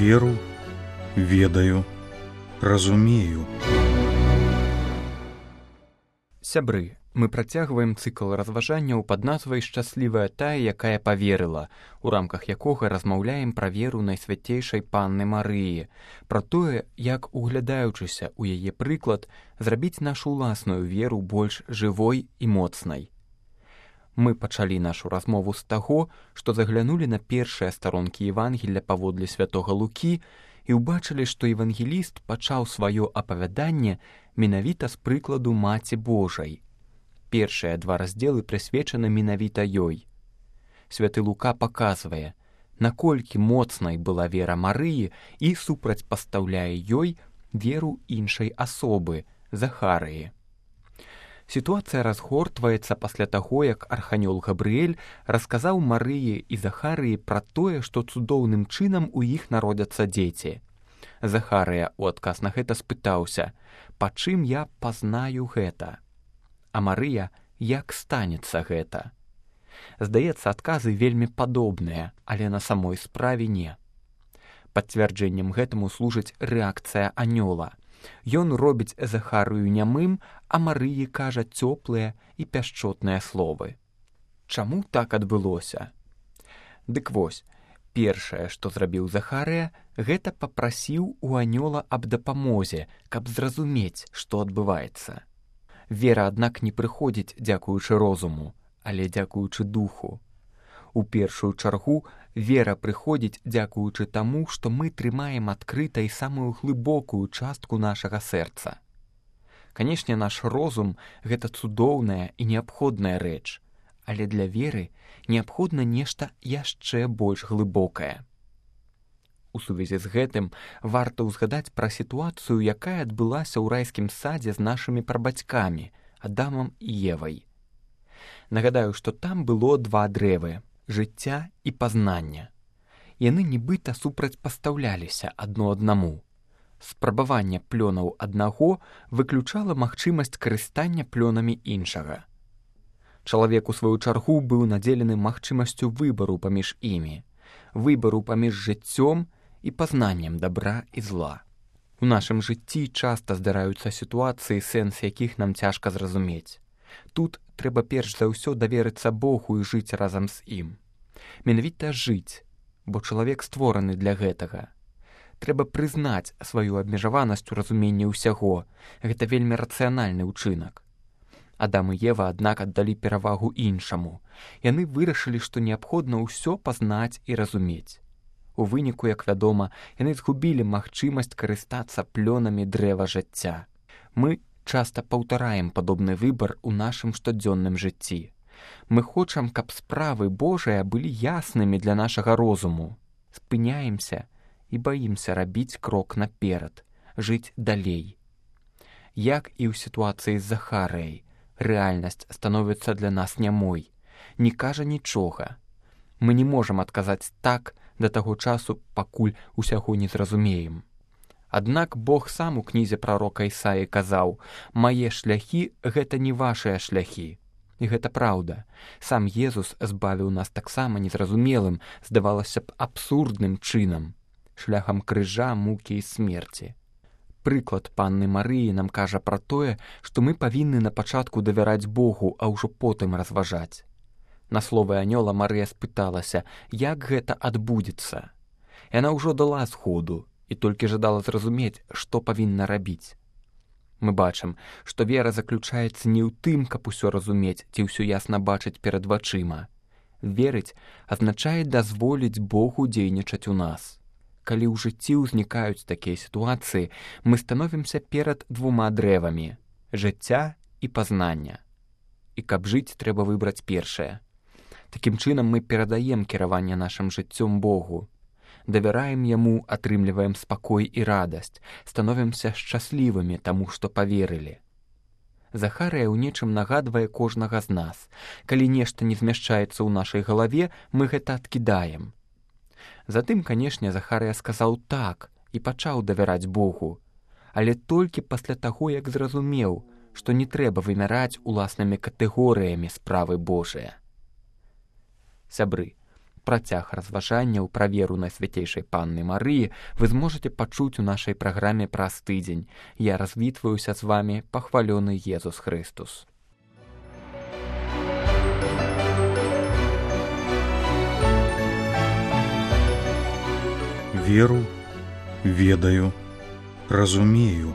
веру, ведаю, разумею. Сябры, мы працягваем цыкл разважанняў пад назвай «Шчаслівая тая, якая паверыла», у рамках якога размаўляем пра веру Найсвяцейшай Панны Марыі, пра тое, як, углядаючыся ў яе прыклад, зрабіць нашу ўласную веру больш жывой і моцнай. Мы пачалі нашу размову з таго, што заглянулі на першыя старонкі Евангелля паводле святога Лукі і ўбачылі, што евангеліст пачаў сваё апавяданне менавіта з прыкладу Маці Божай. Першыя два раздзелы прысвечаны менавіта ёй. Святы Лука паказвае, наколькі моцнай была вера Марыі і супрацьпастаўляе ёй веру іншай асобы, Захарыі. Сітуацыя разгортваецца пасля таго, як арханёл Габрыэль расказаў Марыі і Захарыі пра тое, што цудоўным чынам у іх народзяцца дзеці. Захарыя ў адказ на гэта спытаўся: «Па чым я пазнаю гэта?» А Марыя: «Як станецца гэта?» Здаецца, адказы вельмі падобныя, але на самой справе не. Пацвярджэннем гэтаму служыць рэакцыя анёла. Ён робіць Захарыю нямым, а Марыі кажа цёплыя і пяшчотныя словы. Чаму так адбылося? Дык вось, першае, што зрабіў Захарыя, гэта папрасіў у анёла аб дапамозе, каб зразумець, што адбываецца. Вера, аднак, не прыходзіць дзякуючы розуму, але дзякуючы духу. У першую чаргу вера прыходзіць дзякуючы таму, што мы трымаем адкрытай самую глыбокую частку нашага сэрца. Канешне, наш розум — гэта цудоўная і неабходная рэч, але для веры неабходна нешта яшчэ больш глыбокае. У сувязі з гэтым варта ўзгадаць пра сітуацыю, якая адбылася ў райскім садзе з нашымі прабацькамі, Адамам і Евай. Нагадаю, што там было два дрэвы — жыцця і пазнання. Яны нібыта супрацьпастаўляліся адно аднаму. Спрабаванне плёнаў аднаго выключала магчымасць карыстання плёнамі іншага. Чалавек, у сваю чаргу, быў надзелены магчымасцю выбару паміж імі, выбару паміж жыццём і пазнаннем дабра і зла. У нашым жыцці часта здараюцца сітуацыі, сэнс якіх нам цяжка зразумець. Тут трэба перш за ўсё даверыцца Богу і жыць разам з ім. Менавіта жыць, бо чалавек створаны для гэтага. Трэба прызнаць сваю абмежаванасць у разуменні ўсяго. Гэта вельмі рацыянальны ўчынак. Адам і Ева, аднак, аддалі перавагу іншаму. Яны вырашылі, што неабходна ўсё пазнаць і разумець. У выніку, як вядома, яны згубілі магчымасць карыстацца плёнамі дрэва жыцця. Мы часта паўтараем падобны выбар у нашым штодзённым жыцці. Мы хочам, каб справы Божыя былі яснымі для нашага розуму. Спыняемся і баімся рабіць крок наперад, жыць далей. Як і ў сітуацыі з Захарыяй, рэальнасць становіцца для нас нямой, не кажа нічога. Мы не можам адказаць так да таго часу, пакуль усяго не зразумеем. Аднак Бог сам у кнізе прарока Ісаі казаў: «Мае шляхі — гэта не вашыя шляхі». І гэта праўда. Сам Езус збавіў нас таксама незразумелым, здавалася б, абсурдным чынам, шляхам крыжа, мукі і смерці. Прыклад Панны Марыі нам кажа пра тое, што мы павінны на пачатку давяраць Богу, а ўжо потым разважаць. На словы анёла Марыя спыталася, як гэта адбудзецца. Яна ўжо дала згоду і толькі жадала зразумець, што павінна рабіць. Мы бачым, што вера заключаецца не ў тым, каб усё разумець ці ўсё ясна бачыць перад вачыма. Верыць азначае дазволіць Богу дзейнічаць у нас. Калі ў жыцці ўзнікаюць такія сітуацыі, мы становімся перад двума дрэвамі — жыцця і пазнання. І каб жыць, трэба выбраць першае. Такім чынам мы перадаем кіраванне нашым жыццём Богу. Давяраем яму, атрымліваем спакой і радасць, становімся шчаслівымі таму, што паверылі. Захарыя ў нечым нагадвае кожнага з нас. Калі нешта не змяшчаецца ў нашай галаве, мы гэта адкідаем. Затым, канешне, Захарыя сказаў так і пачаў давяраць Богу, але толькі пасля таго, як зразумеў, што не трэба вымяраць уласнымі катэгорыямі справы Божыя. Сябры, Працяг разважанняў пра веру Найсвяцейшай Панны Марыі вы зможаце пачуць у нашай праграме праз тыдзень. Я развітваюся з вами, пахвалёны Езус Христус. Веру, ведаю, разумею.